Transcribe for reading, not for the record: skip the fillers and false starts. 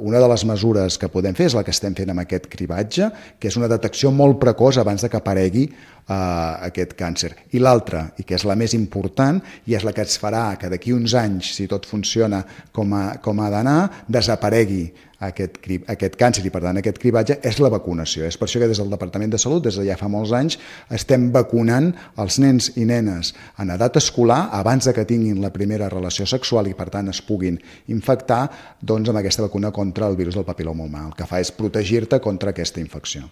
Una de les mesures que podem fer és la que estem fent amb aquest cribatge, que és una detecció molt precoç abans que aparegui aquest càncer. I l'altra, i que és la més important, i és la que ens farà que d'aquí uns anys, si tot funciona com ha d'anar, desaparegui aquest càncer i, per tant, aquest cribatge, és la vacunació. És per això que des del Departament de Salut, des de ja fa molts anys, estem vacunant els nens i nenes en edat escolar abans que tinguin la primera relació sexual i, per tant, es puguin infectar amb aquesta vacuna contra el virus del papil·loma humà. El que fa és protegir-te contra aquesta infecció.